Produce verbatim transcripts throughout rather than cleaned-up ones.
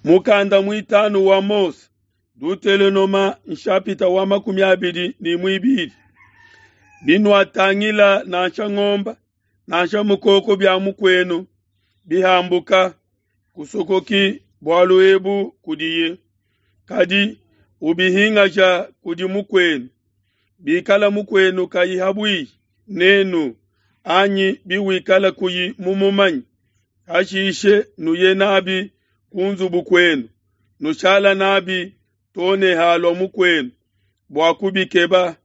Mukanda mwitanu wa Mose, Dutelonoma nshapita wa makumi abidi ni mwibili. Binwatangila nansha ngomba, nansha mukoko bya mukwenu bihambuka, kusokoki bwalu ebu kudiye. Kadi ubihingaja kudi mukwenu. Bikala mukwenu kayi habwihi nenu anyi biwikala kuyi mumumanyi, hashishe nuye nabi ku nzubu kwenu, nushala nabi too ne halua mukwenu bua kubikeba,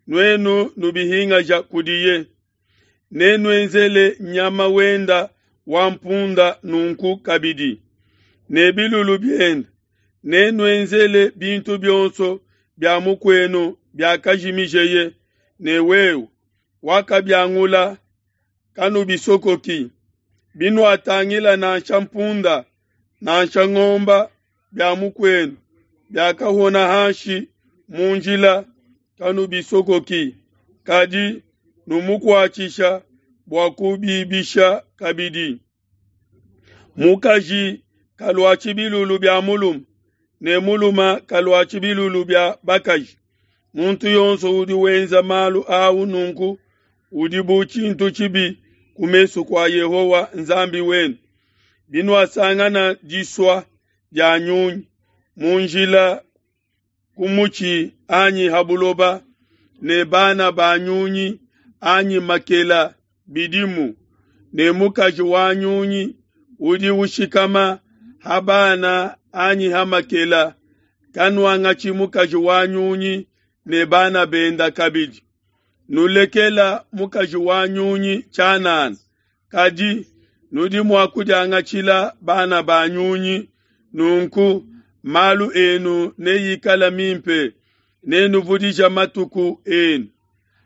nuenu nubihingaja kudiye. Nenuenzele nyama wenda wa mpunda nunku kabidi, ne bilulu biende, nenuenzele bintu bionso bia mukwenu biakajimijeye, ne wewe wakabiangula, kanubisokoki. Binuatangila nansha mpunda nansha ngomba bia mukwenu biakahona hanshi mu njila, kanubisokoki, kadi numukuatshisha bua kubibisha kabidi. Mukaji kaluatshi bilulu bia mulume, ne mulume kaluatshi bilulu bia bakaji. Muntu yonso udi wenza malu au nunku udi bu tshintu tshibi ku mesu kua Yehowa Nzambi wenu. Binuasangana disua dia nyunyi mu njila ku mutshi anyi ha buloba, ne bana ba nyunyi anyi makela bidimu, ne mukaji wa nyunyi udi ushikama ha bana anyi ha makela, kanuangatshi mukaji wa nyunyi ne bana benda kabidi. Nulekela mukaji wa nyunyi tshianana, kadi nudi mua kudiangatshila bana ba nyunyi. Nunku malu enu neikala mimpe, nenuvudija matuku enu.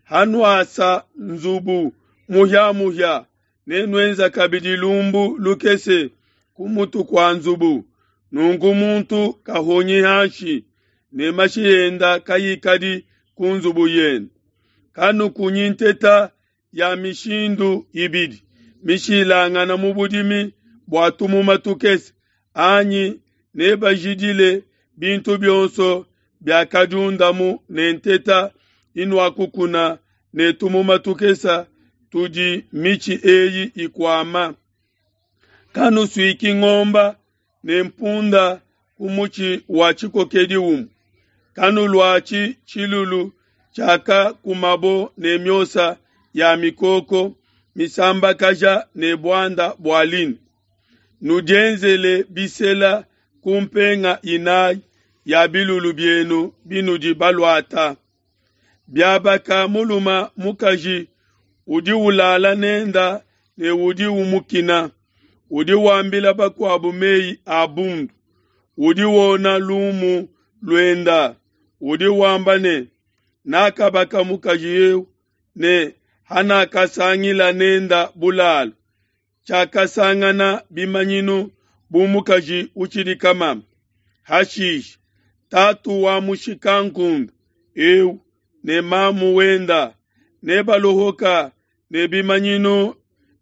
Hanuasa nzubu muhia-muhia, nenuenza kabidi lumbu lukese ku mutu kua nzubu. Nunku muntu kahonyi hanshi, ne mashi enda kayikadi ku nzubu yenu. Kanukunyi nteta ya mishindu ibidi mishilangana mu budimi bua tumuma tukese, anyi nebajidile bintu bionso biakadiundamu ne nteta inuakukuna ne tumuma tukese tudi mitshi eyi ikuama. Kanusuiki ngomba ne mpunda ku mutshi wa tshikokedi umue. Kanuluatshi tshilulu tshiakakumabo ne miosa ya mikoko misambakaja ne buanda bua lin. Nudienzele bisela ku mpenga inayi ya bilulu bienu binudi baluata. Biabaka muluma mukaji udi ulala nenda ne udi umukina, udi wambila bakuabu meyi a bundu, udi wona lumu luenda, udi wamba ne, nakabaka mukaji eu ne hanakasangila nenda bulalu, tshiakasangana bimanyinu bu mukaji utshidi kamama. Hashishe tatu wa mushikankunde eu ne mamu wenda nebalohoka ne bimanyinu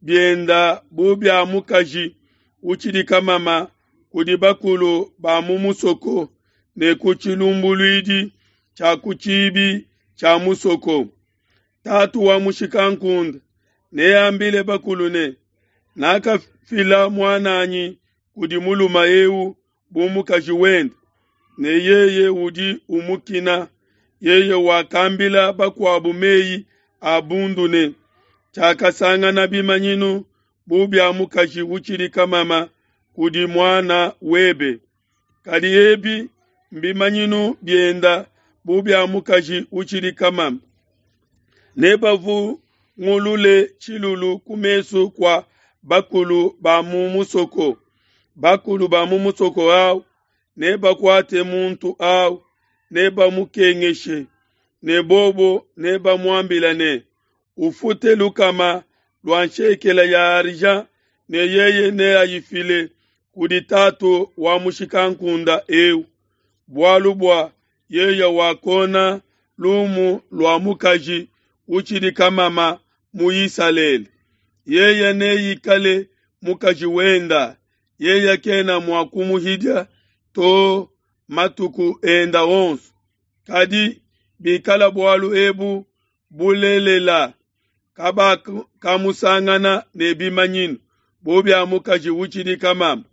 bienda bu bia mukaji utshidi kamama kudi bakulu ba mu musoko ne ku tshilumbuluidi tshia ku tshibi tshia musoko. Tatu wa mushikankunde neambile bakulu ne, nakafila muananyi kudi mulume eu bu mukaji wende, ne yeye udi umukina. Yeye wakambila bakuabu meyi a bundu ne, tshiakasangana bimanyinu bu bia mukaji utshidi kamama kudi muana webe. Kadi ebi mbimanyinu bienda bu bia mukaji utshidi kamama. Nebavungulule tshilulu ku mesu kua bakulu ba mu musoko. Bakulu ba mu musoko au nebakuate muntu au, nebamukengeshe, ne bobo nebamuambila ne, ufute lukama lua nshekela ya argent, ne yeye neayifile kudi tatu wa mushikankunda eu, bualu bua yeye wakona lumu lua mukaji utshidi kamama mu Isalele. Yeye neikale mukaji wenda, yeye kena mua kumuhidia to matuku enda onso. Kadi bikala bualu ebu bulelela, kabakamusangana ne bimanyinu bu bia mukaji utshidi kamama.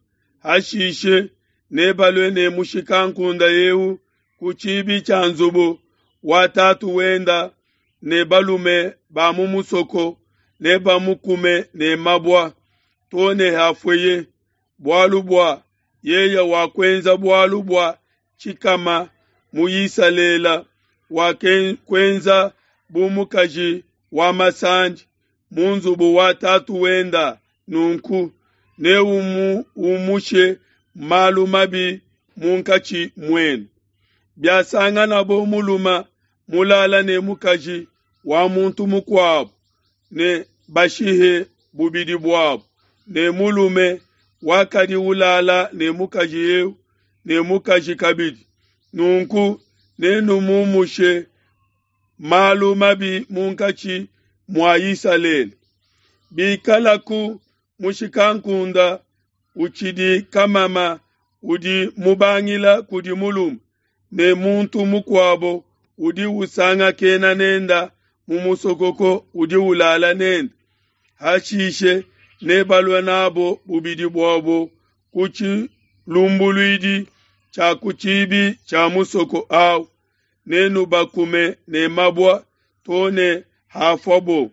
Hashishe nebalue ne mushikankunda eu ku tshibi tshia nzubu wa tatu wenda, ne balume ba mu musoko nebamukume ne mabua to ne hafueye, bualu bua yeye wakuenza bualu bua tshikama mu Isalele, wakuenza bu mukaji wa masandi mu nzubu wa tatu wenda. Nunku neumushe malu mabi munkatshi muenu. Biasanganabo mulume mulala ne mukaji wa muntu mukuabo, ne bashihe bubidi buabo, ne mulume wakadi ulala ne mukaji eu ne mukaji kabidi. Nunku nenumumushe malu mabi munkatshi mua Isalele. Bikalaku mushikankunda utshidi kamama udi mubangila kudi mulume, ne muntu mukuabo udi usangakena nenda mu musokoko udi ulala nende, hashishe nebalue nabo bubidi buabo ku tshilumbuluidi tshia ku tshibi tshia musoko awu, nenubakume ne mabua to ne hafuabo.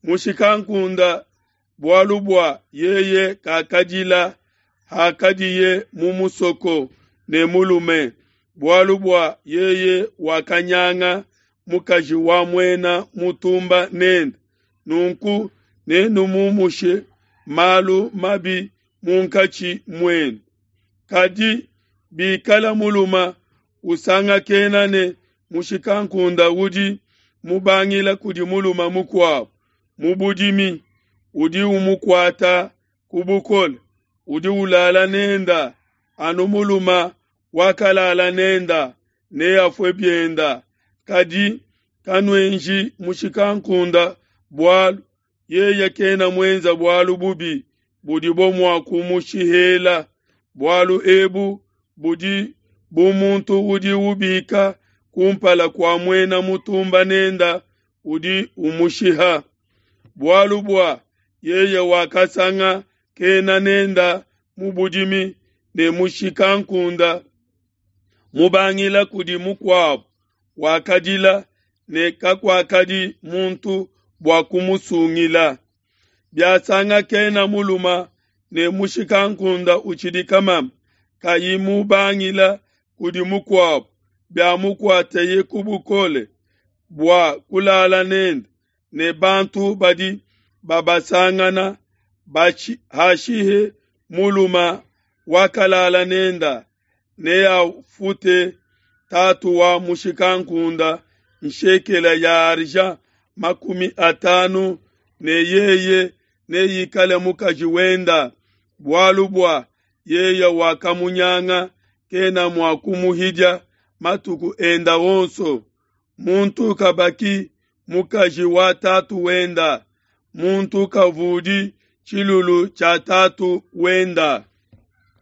Mushikankunda bualu bua yeye kakadila hakadiye mu musoko ne mulume, bualu bua yeye wakanyanga mukaji wa muena mutumba nende. Nunku nenumumushe malu mabi munkatshi muenu. Kadi bikala mulume usangakena ne mushikankunda udi mubangila kudi mulume mukuabo mu budimi, udi umukuata ku bukole, udi ulala nenda, anu mulume wakalala nenda neafue bienda. Kadi kanuenji mushikankunda bualu, yeye kena muenza bualu bubi budibo mua kumushihela. Bualu ebu budi bu muntu udi ubika kumpala kua muena mutumba nenda udi umushiha. Bualu bua yeye wakasangakena nenda mu budimi ne mushikankunda mubangila kudi mukuabo, wakadila ne kakuakadi muntu bua kumusungila. Biasangakena mulume ne mushikankunda utshidi kamama, kayi mubangila kudi mukuabo, biamukuateye ku bukole bua kulala nende, ne bantu badi babasangana hashihe mulume wakalala nenda, neafute tatu wa mushikankunda nshekela ya argent makumi atanu, ne yeye neikale mukaji wenda, bualu bua yeye wakamunyanga, kena mua kumuhidia matuku enda onso. Muntu kabaki mukaji wa tatu wenda, muntu kavudi tshilulu tshia tatu wenda.